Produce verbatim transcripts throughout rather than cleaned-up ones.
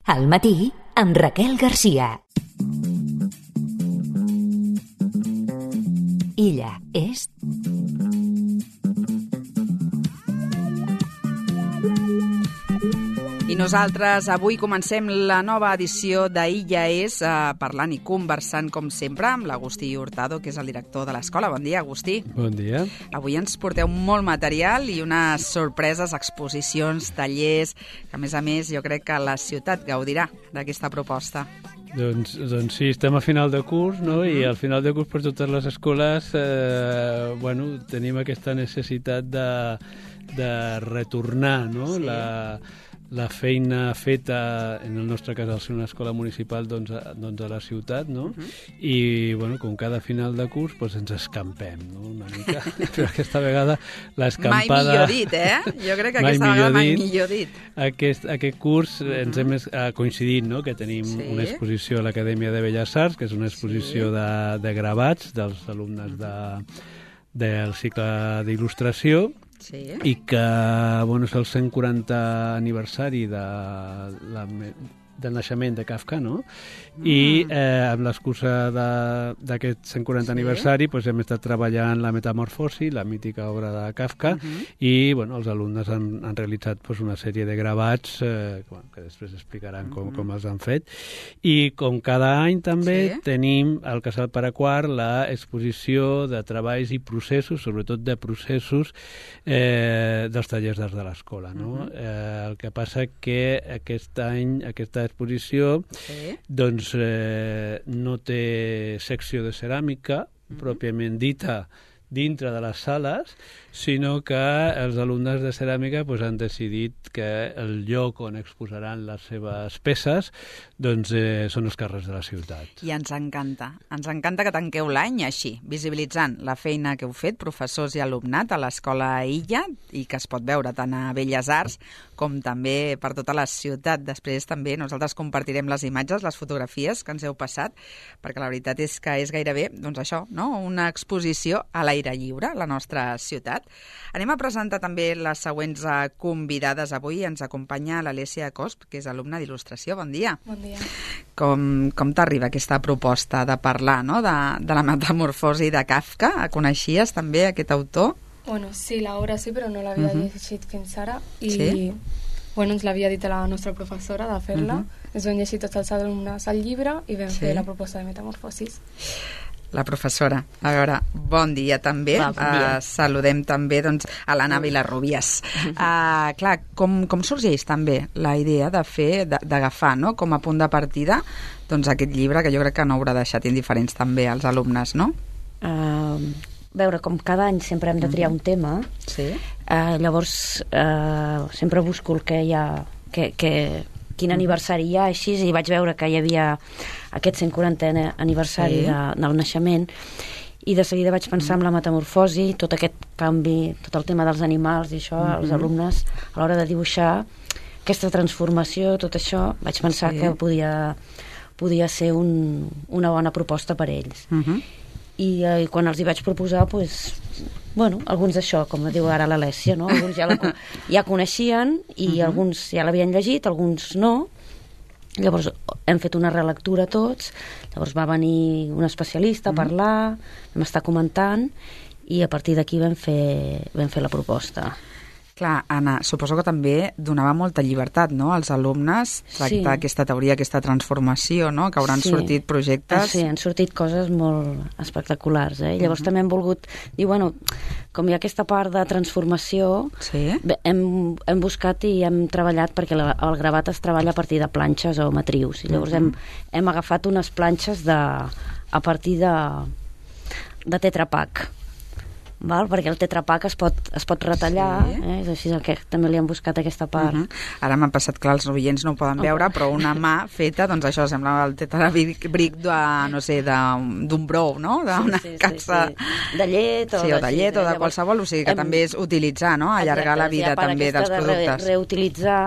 Al matí, amb Raquel Garcia. Illa és... I nosaltres avui comencem la nova edició d'Illa és, eh, parlant i conversant, com sempre, amb l'Agustí Hurtado, que és el director de l'escola. Bon dia, Agustí. Bon dia. Avui ens porteu molt material i unes sorpreses, exposicions, tallers, que a més a més jo crec que la ciutat gaudirà d'aquesta proposta. Doncs, doncs sí, estem a final de curs, no? I al final de curs per totes les escoles eh, bueno, tenim aquesta necessitat de, de retornar, no? Sí. La, la feina feta, en el nostre cas al ser una escola municipal, doncs a, doncs a la ciutat, no? Uh-huh. I, bueno, com cada final de curs, doncs ens escampem, no? Una mica. Però aquesta vegada l'escampada... Mai millor dit, eh? Jo crec que aquesta vegada mai millor dit. Aquest, aquest curs uh-huh. ens hem uh, coincidit, no?, que tenim sí. una exposició a l'Acadèmia de Belles Arts, que és una exposició sí. de, de gravats dels alumnes de, del cicle d'il·lustració, sí. i que bueno, és el cent quaranta aniversari de la, del naixement de Kafka, no? Mm. I eh, amb l'excusa d'aquest cent quaranta sí. aniversari pues, hem estat treballant la Metamorfosi, la mítica obra de Kafka, uh-huh. i bueno, els alumnes han, han realitzat pues, una sèrie de gravats eh, que, bueno, que després explicaran com, uh-huh. com els han fet. I com cada any també sí. tenim al Casal Paraquar l'exposició de treballs i processos, sobretot de processos eh, dels tallers d'arts de l'escola. No? Uh-huh. eh, el que passa que aquest any, aquesta exposició sí. doncs eh, no té secció de ceràmica mm-hmm. pròpiament dita dintre de les sales, sinó que els alumnes de ceràmica pues, han decidit que el lloc on exposaran les seves peces doncs, eh, són els carrers de la ciutat. I ens encanta. Ens encanta que tanqueu l'any així, visibilitzant la feina que heu fet, professors i alumnat, a l'escola Illa, i que es pot veure tant a Belles Arts com també per tota la ciutat. Després també nosaltres compartirem les imatges, les fotografies que ens heu passat, perquè la veritat és que és gairebé doncs això, no? Una exposició a l'aire lliure, a la nostra ciutat. Anem a presentar també les següents convidades. Avui ens acompanya l'Alessia Cosp, que és alumna d'il·lustració. Bon dia. Bon dia. Com, com t'arriba aquesta proposta de parlar, no? de, de la metamorfosi de Kafka? Coneixies també aquest autor? Bueno, sí, l'obra sí, però no l'havia uh-huh. llegit fins ara. I sí? bueno, ens l'havia dit a la nostra professora de fer-la. Uh-huh. Ens vam llegir tots els alumnes al llibre i vam sí. fer la proposta de metamorfosis. La professora. A veure, bon dia també. Va, bon dia. Uh, saludem també doncs, a l'Anna Vilarrubias. Uh, clar, com, com sorgeix també la idea de fer, d'agafar, no?, com a punt de partida doncs, aquest llibre, que jo crec que no haurà deixat indiferents també als alumnes, no? Uh, veure, com cada any sempre hem de triar un tema, sí. uh, llavors uh, sempre busco el que hi ha... Que, que, quin aniversari hi ha, així, i vaig veure que hi havia aquest cent quarantè aniversari sí. de, del naixement, i de seguida vaig pensar en la metamorfosi, tot aquest canvi, tot el tema dels animals i això, mm-hmm. els alumnes, a l'hora de dibuixar aquesta transformació, tot això, vaig pensar sí. que podia, podia ser un, una bona proposta per a ells. Mm-hmm. I, eh, quan els hi vaig proposar, doncs, bueno, alguns d'això, com diu ara l'Alessia, no? Alguns ja, la, ja coneixien i uh-huh. alguns ja l'havien llegit, alguns no. Llavors hem fet una relectura tots, llavors va venir un especialista a uh-huh. parlar, vam estar comentant i a partir d'aquí vam fer, vam fer la proposta. Clar, Anna, suposo que també donava molta llibertat, no?, als alumnes, tractar sí. aquesta teoria, aquesta transformació, no?, que hauran sí. sortit projectes... Sí, han sortit coses molt espectaculars, eh? Llavors uh-huh. també hem volgut dir, bueno, com hi ha aquesta part de transformació, sí. hem, hem buscat i hem treballat, perquè la, el gravat es treballa a partir de planxes o matrius, i llavors uh-huh. hem, hem agafat unes planxes de, a partir de, de Tetra Pak. Val? Perquè el Tetra Pak es pot, es pot retallar, sí. eh? És així que també li han buscat aquesta part. Uh-huh. Ara m'han passat, clar, els oients no ho poden veure, però una mà feta, doncs això sembla el Tetra Bric de, no sé, d'un brou, no? D'una sí, sí, cassa... Sí, sí. De llet o, sí, o de llet o de qualsevol, o sigui que hem... també és utilitzar, no? Allargar la vida també dels productes. De reutilitzar,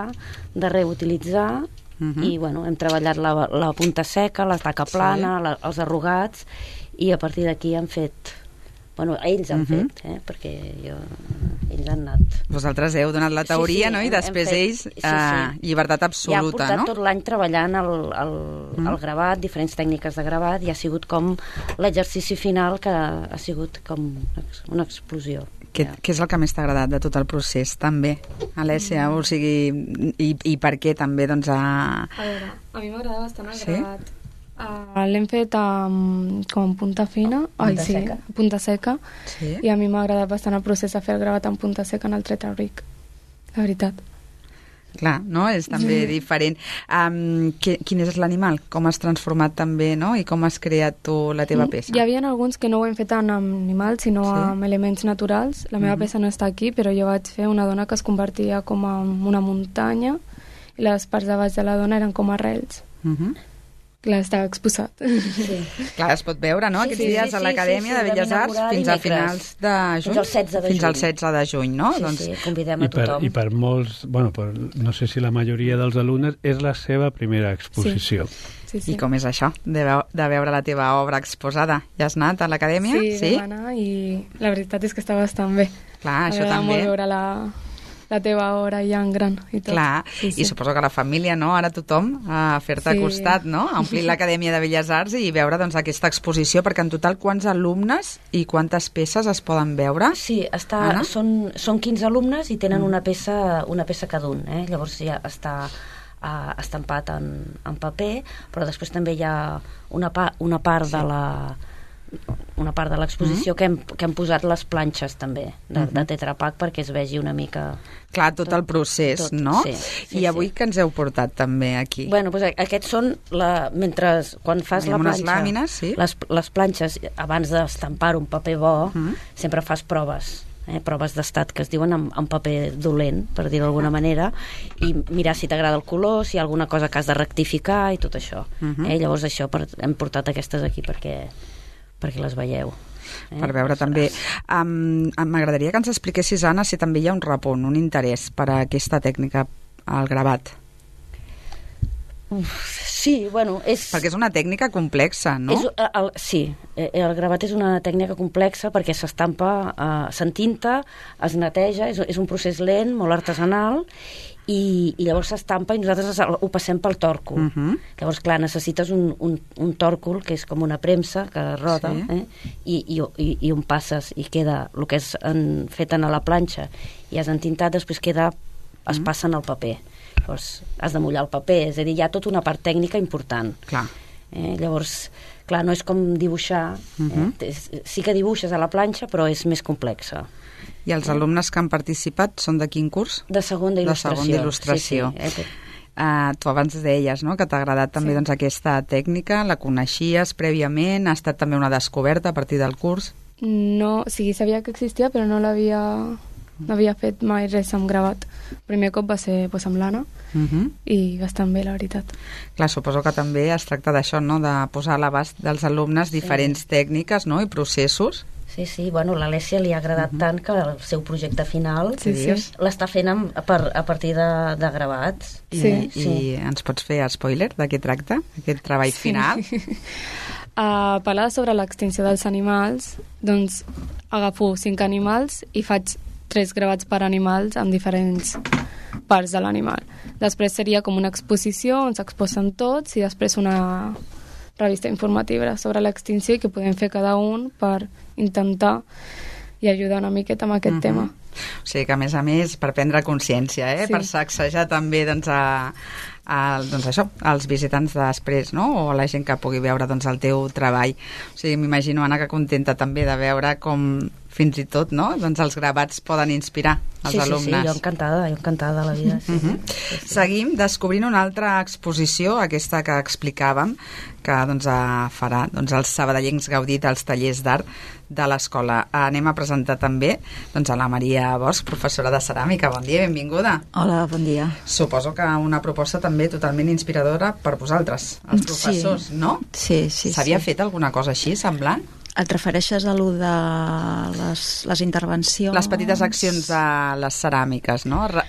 de reutilitzar, uh-huh. i bueno, hem treballat la, la punta seca, la taca plana, sí. la, els arrugats, i a partir d'aquí hem fet Bueno, ells han Uh-huh. fet, eh? Perquè jo, ells han anat... Vosaltres heu donat la teoria, Sí, sí, no? I hem- després hem fet- ells, sí, sí. eh, llibertat Ja ha absoluta, portat no? tot l'any treballant el, el, Mm. el gravat, diferents tècniques de gravat, i ha sigut com l'exercici final que ha sigut com una explosió. Què, què és el que més t'ha agradat de tot el procés, també, Alessia? O sigui, i, i per què també, doncs, a... A veure, a mi m'agrada bastant el Sí? gravat. Uh, L'hem fet amb, com en punta fina, ai, Punta sí, seca. punta seca, Sí? i a mi m'ha agradat bastant el procés de fer el gravat en punta seca en el tretrabric, la veritat. Clar, no? És també diferent. Um, que, quin és l'animal? Com has transformat també, no? I com has creat tu la teva peça? Hi havia alguns que no ho hem fet en animals, sinó Sí? amb elements naturals. La meva Mhm. peça no està aquí, però jo vaig fer una dona que es convertia com en una muntanya i les parts de baix de la dona eren com arrels. Uh -huh. Clar, estava exposat. Sí. Clar, es pot veure, no? Sí, Aquests sí, dies sí, a sí, l'Acadèmia sí, sí, de Belles vam Arts inaugurar fins a dimecres. finals de juny? Fins al setze de Fins al juny. setze de juny, no? Sí, doncs, sí, convidem a I per, tothom. I per molts, bueno, per, no sé si la majoria dels alumnes, és la seva primera exposició. Sí, sí. I com és això, de, veu de veure la teva obra exposada? Ja has anat a l'Acadèmia? Sí, sí? Vam anar i la veritat és que està bastant bé. Clar, això M'agrada també. molt veure la, la teva obra ja en gran i tot. Clar, sí, sí. i suposo que la família, no? Ara tothom a fer-te Sí. costat, no? A omplir l'Acadèmia de Belles Arts i veure doncs, aquesta exposició, perquè en total quants alumnes i quantes peces es poden veure? Sí, està, Anna? són, són quinze alumnes i tenen una peça, una peça cada un, eh? Llavors ja està uh, estampat en, en paper, però després també hi ha una, pa, una part sí. de la una part de l'exposició mm. que, hem, que hem posat les planxes també de, mm -hmm. de Tetra Pak perquè es vegi una mica... Clar, tot, tot el procés, tot, no? sí, sí, I avui sí. que ens heu portat també aquí? Bueno, doncs aquests són, la, mentre, quan fas Tenim la unes planxa, làmines, sí. les, les planxes, abans d'estampar un paper bo, Mm. sempre fas proves, eh, proves d'estat que es diuen en, en paper dolent, per dir-ho d'alguna manera, i mirar si t'agrada el color, si hi ha alguna cosa que has de rectificar i tot això. Mhm. eh? Llavors això, per, hem portat aquestes aquí perquè, perquè les veieu. Eh? Per veure també. Um, M'agradaria que ens expliquessis, Anna, si també hi ha un repunt, un interès per a aquesta tècnica, el gravat. Uf, sí, bueno, és... Perquè és una tècnica complexa, no? És, el, el, sí, el gravat és una tècnica complexa perquè s'estampa, eh, s'entinta, es neteja, és, és un procés lent, molt artesanal, i, i llavors s'estampa i nosaltres ho passem pel tòrcul. Uh -huh. Llavors, clar, necessites un, un, un tòrcul que és com una premsa que roda, Sí. eh? I, i, i, i on passes i queda el que és en, fet a la planxa i has entintat, després queda, es Mm. passa en el paper. Llavors, has de mullar el paper, és a dir, hi ha tota una part tècnica important. Clar. Eh? Llavors, clar, no és com dibuixar, Uh -huh. eh? sí que dibuixes a la planxa, però és més complexa. I els alumnes que han participat són de quin curs? De segona il·lustració. De segona il·lustració. Sí, sí. Uh, tu abans deies, no?, que t'ha agradat també Sí. doncs, aquesta tècnica, la coneixies prèviament, ha estat també una descoberta a partir del curs? No, o sigui, sabia que existia, però no l'havia no havia fet mai res amb gravat. El primer cop va ser pues, amb l'Anna Uh -huh. i bastant bé, la veritat. Clar, suposo que també es tracta d'això, no?, de posar a l'abast dels alumnes diferents sí. tècniques, no?, i processos. Sí, sí, bueno, l'Alessia li ha agradat uh -huh. tant que el seu projecte final Sí, sí. l'està fent amb, a, per, a partir de, de gravats. I, Sí. I ens pots fer spoiler de què tracta, aquest treball final? A parlar sobre l'extinció dels animals, doncs agafo cinc animals i faig tres gravats per animals amb diferents parts de l'animal. Després seria com una exposició on s'exposen tots i després una revista informativa sobre l'extinció i que podem fer cada un per intentar i ajudar una miqueta amb aquest uh -huh. tema. O sigui que, a més a més, per prendre consciència, eh? Sí. Per sacsejar també doncs, a, a, doncs això, als visitants després, no?, o a la gent que pugui veure doncs, el teu treball. O sigui, m'imagino, Anna, que contenta també de veure com fins i tot, no?, doncs els gravats poden inspirar els sí, alumnes. Sí, sí, jo encantada, jo encantada de la vida. Sí, Uh -huh. sí, sí. Seguim descobrint una altra exposició, aquesta que explicàvem, que doncs, farà doncs, els sabadellencs gaudir dels tallers d'art de l'escola. Anem a presentar també doncs, a la Maria Bosch, professora de ceràmica. Bon dia, benvinguda. Hola, bon dia. Suposo que una proposta també totalment inspiradora per vosaltres, els professors, sí. no? Sí, sí. S'havia sí. fet alguna cosa així, semblant? Et refereixes a lo de les, les intervencions? Les petites accions a les ceràmiques, no? Re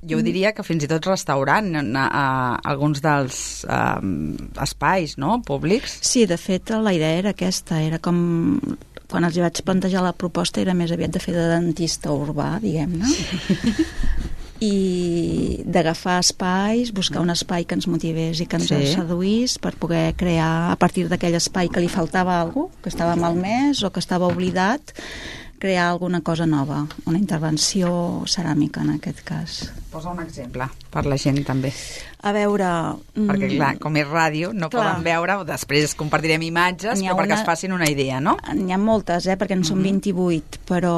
jo diria que fins i tot restaurant a, a, a alguns dels um, espais, no?, públics. Sí, de fet, la idea era aquesta, era com quan els vaig plantejar la proposta era més aviat de fer de dentista urbà, diguem-ne, i d'agafar espais, buscar un espai que ens motivés i que ens sí. seduís per poder crear, a partir d'aquell espai que li faltava alguna cosa, que estava malmès o que estava oblidat, crear alguna cosa nova, una intervenció ceràmica en aquest cas. Posa un exemple per la gent també. A veure... Perquè clar, com és ràdio, no clar. Poden veure, després compartirem imatges, però perquè una... es facin una idea, no? N'hi ha moltes, eh, perquè en són mm-hmm. vint-i-vuit, però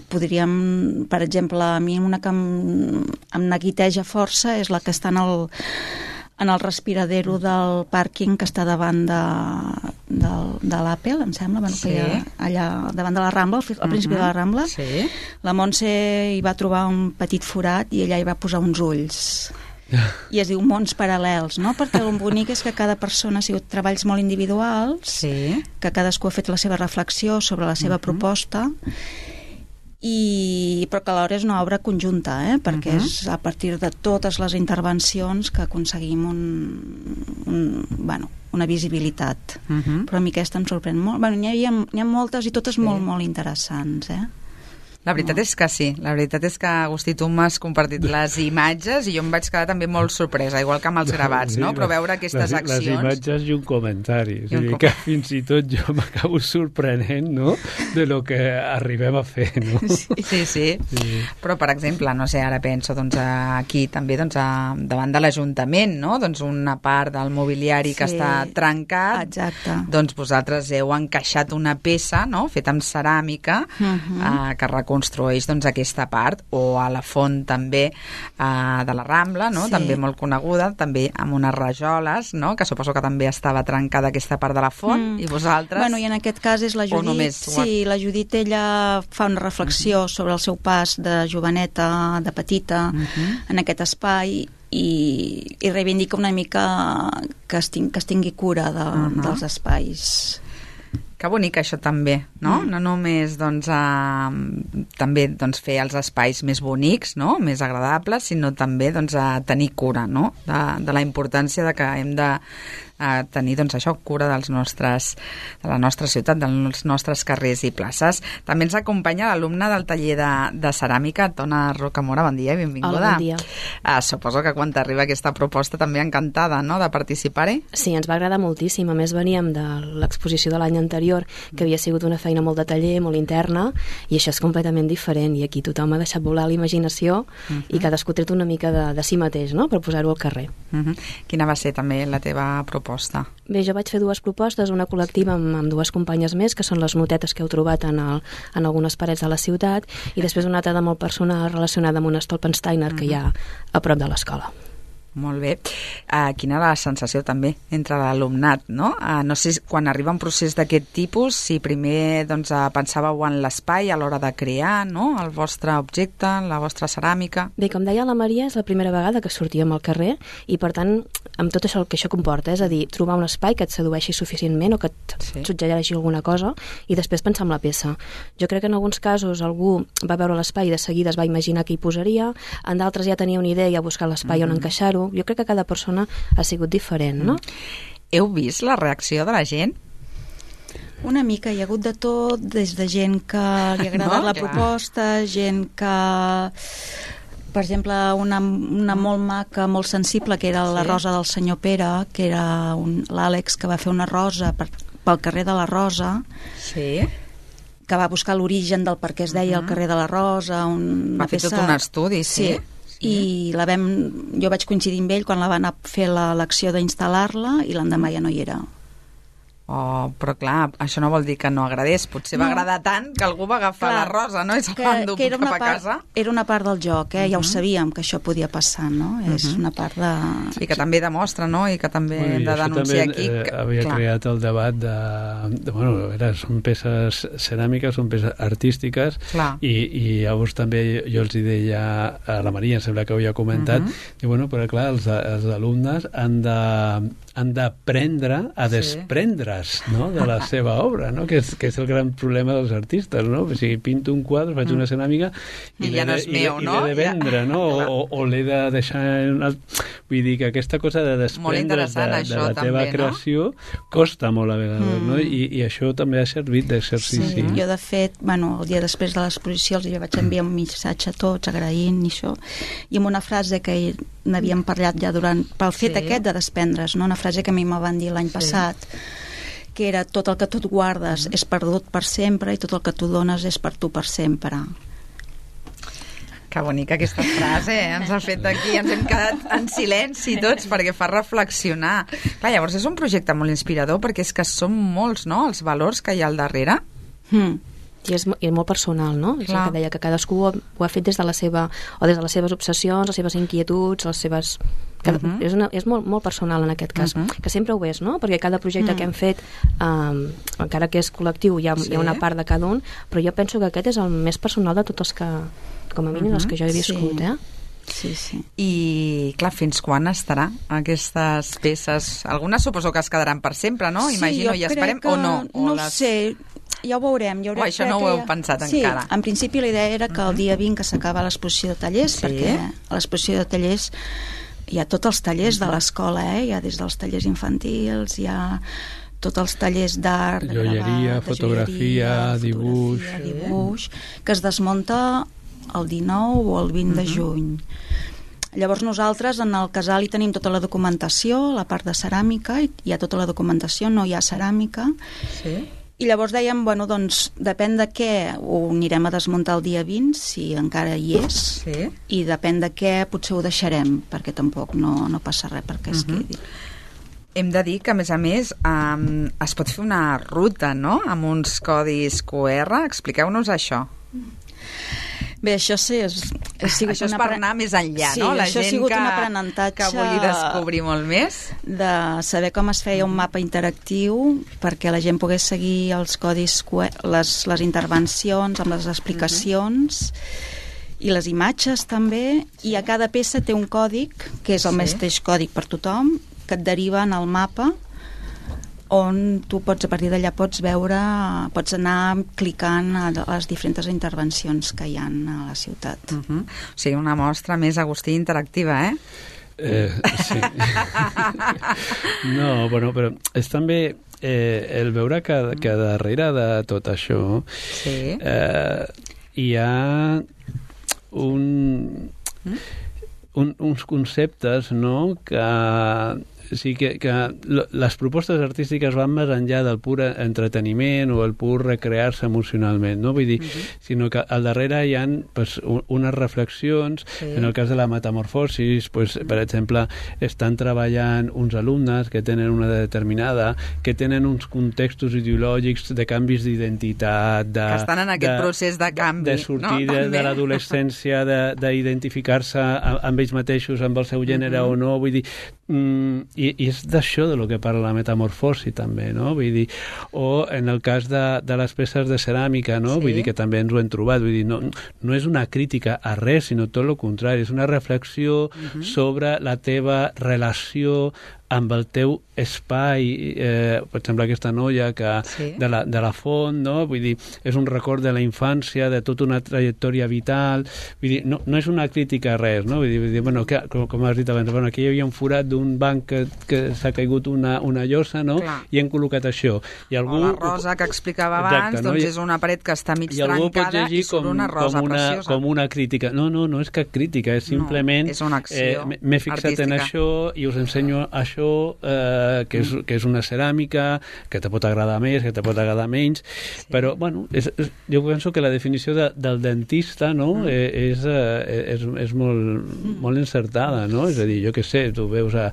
podríem, per exemple, a mi una que em, em neguiteja força és la que està en el... en el respiradero del pàrquing que està davant de, de, de l'Apple, em sembla, bueno, sí. que hi ha allà davant de la Rambla, al, al principi uh-huh. de la Rambla. Sí. La Montse hi va trobar un petit forat i ella hi va posar uns ulls. I es diu mons paral·lels, no? Perquè el bonic és que cada persona ha sigut treballs molt individuals, sí. que cadascú ha fet la seva reflexió sobre la seva uh-huh. proposta, i però que alhora és una obra conjunta, eh? Perquè uh-huh. és a partir de totes les intervencions que aconseguim un, un, bueno, una visibilitat. Uh-huh. Però a mi aquesta em sorprèn molt. Bueno, n'hi ha, n'hi ha moltes i totes sí. molt, molt interessants, eh? La veritat no. és que sí, la veritat és que Agustí, tu m'has compartit les imatges i jo em vaig quedar també molt sorpresa, igual que amb els gravats, no? Però veure aquestes les, accions... Les imatges i un comentari, I un com... que fins i tot jo m'acabo sorprenent, no?, de lo que arribem a fer, no? Sí, sí, sí. sí. Però, per exemple, no sé, ara penso doncs, aquí també doncs, a, davant de l'Ajuntament, no?, doncs una part del mobiliari sí. que està trencat, exacte. Doncs vosaltres heu encaixat una peça, no?, feta amb ceràmica, uh-huh. eh, que construeix doncs, aquesta part, o a la font també eh, de la Rambla, no? Sí. També molt coneguda, també amb unes rajoles, no? Que suposo que també estava trencada aquesta part de la font, mm. i vosaltres... Bueno, i en aquest cas és la Judit, només... sí, la Judit ella fa una reflexió uh-huh. sobre el seu pas de joveneta, de petita, uh-huh. en aquest espai, i, i reivindica una mica que es, ting, que es tingui cura de, uh-huh. dels espais. Que bonic això també, no? Mm. No només doncs, a, també doncs, fer els espais més bonics, no? Més agradables, sinó també doncs, a tenir cura, no? de, de la importància de que hem de a tenir doncs, això, cura dels nostres, de la nostra ciutat, dels nostres carrers i places. També ens acompanya l'alumne del taller de, de ceràmica, Tona Rocamora. Bon dia, benvinguda. Hola, bon dia. Uh, suposo que quan t'arriba aquesta proposta també encantada, no?, de participar-hi. Sí, ens va agradar moltíssim. A més, veníem de l'exposició de l'any anterior, que havia sigut una feina molt de taller, molt interna, i això és completament diferent, i aquí tothom ha deixat volar la imaginació uh-huh. i cadascú ha tret una mica de, de si mateix, no?, per posar-ho al carrer. Uh-huh. Quina va ser també la teva proposta? Bé, jo vaig fer dues propostes, una col·lectiva amb, amb dues companyes més, que són les motetes que heu trobat en, el, en algunes parets de la ciutat, i després una altra de molt personal relacionada amb un Stolpensteiner que hi ha a prop de l'escola. Molt bé. Uh, quina era la sensació també entre l'alumnat, no? Uh, no sé, quan arriba un procés d'aquest tipus, si primer doncs, uh, pensàveu en l'espai a l'hora de crear, no?, el vostre objecte, la vostra ceràmica. Bé, com deia la Maria, és la primera vegada que sortíem al carrer i, per tant, amb tot això el que això comporta, és a dir, trobar un espai que et sedueixi suficientment o que et sí. suggereixi alguna cosa i després pensar en la peça. Jo crec que en alguns casos algú va veure l'espai i de seguida es va imaginar què hi posaria, en d'altres ja tenia una idea i ha buscat l'espai mm-hmm. on encaixar-ho. Jo crec que cada persona ha sigut diferent, no? Heu vist la reacció de la gent? Una mica, hi ha hagut de tot, des de gent que li ha agradat no? la Clar. proposta, gent que... Per exemple, una, una molt maca, molt sensible, que era la sí. rosa del senyor Pere, que era un, l'Àlex, que va fer una rosa per, pel carrer de la Rosa, sí. que va buscar l'origen del per què es deia uh-huh. el carrer de la Rosa. Un, va fer peça... tot un estudi, sí. sí. I la vam, jo vaig coincidir amb ell quan la van fer l'acció d'instal·lar-la i l'endemà ja no hi era. Oh, però clar, això no vol dir que no agradés. Potser no. va agradar tant que algú va agafar clar, la rosa, no? I se'l va endur cap a casa. Era una part del joc, eh? Uh-huh. Ja ho sabíem que això podia passar, no? Uh-huh. És una part de... I que també demostra, no? I que també bueno, hem de denunciar també, aquí... Eh, que, havia clar. creat el debat de... de bueno, era, són peces ceràmiques, són peces artístiques, clar. i, i llavors també jo els hi deia a la Maria, em sembla que ho havia comentat, uh-huh. i bueno, però clar, els, els alumnes han de, han d'aprendre a desprendre's, no?, de la seva obra, no?, que és, que és el gran problema dels artistes, no? O sigui, pinto un quadre, faig una ceràmica i, I ja no és de, meu, i, no? I l'he de vendre, no? O, o l'he de deixar... Una... Vull dir que aquesta cosa de desprendre's de, de la teva també, creació no? costa molt a vegades, mm. no? I, I això també ha servit d'exercici. Sí, jo de fet, bueno, el dia després de l'exposició els vaig enviar un missatge a tots agraint i això, i amb una frase que n'havíem parlat ja durant, pel fet sí. aquest de desprendre's, no? Una frase que a mi me van dir l'any sí. passat, que era tot el que tu et guardes és perdut per sempre i tot el que tu dones és per tu per sempre. Que bonica aquesta frase, eh? Ens ha fet aquí, ens hem quedat en silenci tots perquè fa reflexionar. Clar, llavors és un projecte molt inspirador perquè és que són molts, no?, els valors que hi ha al darrere. Mm. I és, i és molt personal, no? Clar. És el que deia, que cadascú ho, ho ha fet des de la seva, o des de les seves obsessions, les seves inquietuds, les seves... Que uh-huh. És, una, és molt, molt personal en aquest cas, uh-huh. que sempre ho és, no? Perquè cada projecte uh-huh. que hem fet, um, encara que és col·lectiu, hi ha, sí. hi ha una part de cada un, però jo penso que aquest és el més personal de tots els que, com a mínim, uh-huh. els que jo he viscut, sí. eh? Sí, sí. I, clar, fins quan estarà aquestes peces? Algunes suposo que es quedaran per sempre, no? Sí, Imagino, i esperem, que, o no? O no les... ho sé, ja ho veurem. Ja oh, això no ho heu ja... pensat sí, encara. Sí, en principi la idea era que el dia vint que s'acaba l'exposició de tallers, sí. perquè a l'exposició de tallers hi ha tots els tallers de l'escola, eh? Hi ha des dels tallers infantils, hi ha tots els tallers d'art, de joieria, gravat, fotografia, de dibuix, fotografia, dibuix, que es desmunta el dinou o el vint uh-huh. de juny. Llavors nosaltres en el casal hi tenim tota la documentació, la part de ceràmica, hi ha tota la documentació, no hi ha ceràmica. Sí. I llavors dèiem, bueno, doncs, depèn de què ho anirem a desmuntar el dia vint, si encara hi és, sí. i depèn de què potser ho deixarem, perquè tampoc no, no passa res perquè es uh-huh. quedi. Hem de dir que, a més a més, um, es pot fer una ruta, no?, amb uns codis Q R. Expliqueu-nos això. Bé, això sí, és, és sigut això és una per anar més enllà, sí, no? La això gent ha sigut que, un aprenentatge que vulgui descobrir molt més. De saber com es feia un mapa interactiu perquè la gent pogués seguir els codis, les, les intervencions amb les explicacions uh-huh. i les imatges també, i a cada peça té un còdic, que és el sí. mateix còdic per tothom, que et deriva en el mapa on tu pots, a partir d'allà pots veure, pots anar clicant a les diferents intervencions que hi ha a la ciutat. Uh-huh. O sigui, una mostra més, Agustí, interactiva, eh? Eh, sí. No, bueno, però és també eh, el veure que, que darrere de tot això sí. eh, hi ha un, un, uns conceptes, no?, que o sigui que, que les propostes artístiques van més enllà del pur entreteniment o el pur recrear-se emocionalment, no? Vull dir, uh-huh. sinó que al darrere hi ha pues, unes reflexions, sí. en el cas de la metamorfosis, pues, uh-huh. per exemple, estan treballant uns alumnes que tenen una determinada, que tenen uns contextos ideològics de canvis d'identitat, de, que estan en aquest de, procés de canvi, de sortir no? de, de l'adolescència, d'identificar-se amb ells mateixos, amb el seu gènere uh-huh. o no, vull dir, mm, i, i és d'això de lo que parla la metamorfosi també, no? Vull dir, o en el cas de, de les peces de ceràmica, no? Sí. Vull dir que també ens ho hem trobat, vull dir, no, no és una crítica a res, sinó tot el contrari, és una reflexió uh-huh. sobre la teva relació amb el teu espai, eh, per exemple aquesta noia que, sí. de, la, de la font, no? Vull dir, és un record de la infància, de tota una trajectòria vital, vull dir, no, no és una crítica a res, no? Vull dir, vull dir bueno, que, com, com has dit abans, bueno, aquí hi havia un forat d'un banc que, que s'ha caigut una, una llosa, no? Clar. I hem col·locat això. I algú, o la rosa que explicava abans, exacte, no? Doncs és una paret que està mig trencada i surt com, una rosa com una, preciosa. Com una crítica. No, no, no és cap crítica, és simplement... No, és una acció eh, m'he fixat artística. En això i us ensenyo això, eh, que, és, que és una ceràmica, que te pot agradar més, que te pot agradar menys, sí. però, bueno, és, és, jo penso que la definició de, del dentista, no?, mm. és, és, és molt, molt encertada, no? És a dir, jo què sé, tu veus a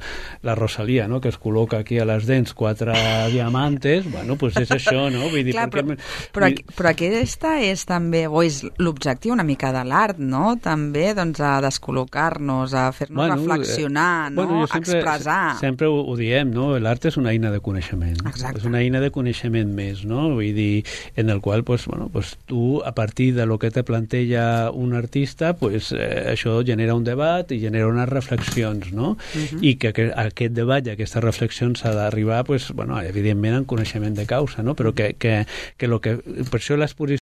la Rosalia, no?, que es col·loca aquí a les dents quatre diamantes, bueno, doncs pues és això, no? Vull dir, clar, però, perquè... però, però aquesta és també, o és l'objectiu una mica de l'art, no?, també, doncs, a descol·locar-nos, a fer-nos bueno, reflexionar, eh, no?, bueno, sempre, expressar. Sempre sempre ho, ho diem, no? L'art és una eina de coneixement. Exacte. És una eina de coneixement més, no? Vull dir, en el qual pues, bueno, pues, tu, a partir de lo que te planteja un artista, pues, eh, això genera un debat i genera unes reflexions, no? Uh-huh. I que, que aquest debat i aquesta reflexió s'ha d'arribar, pues, bueno, evidentment, en coneixement de causa, no? Però que, que, que, lo que per això l'exposició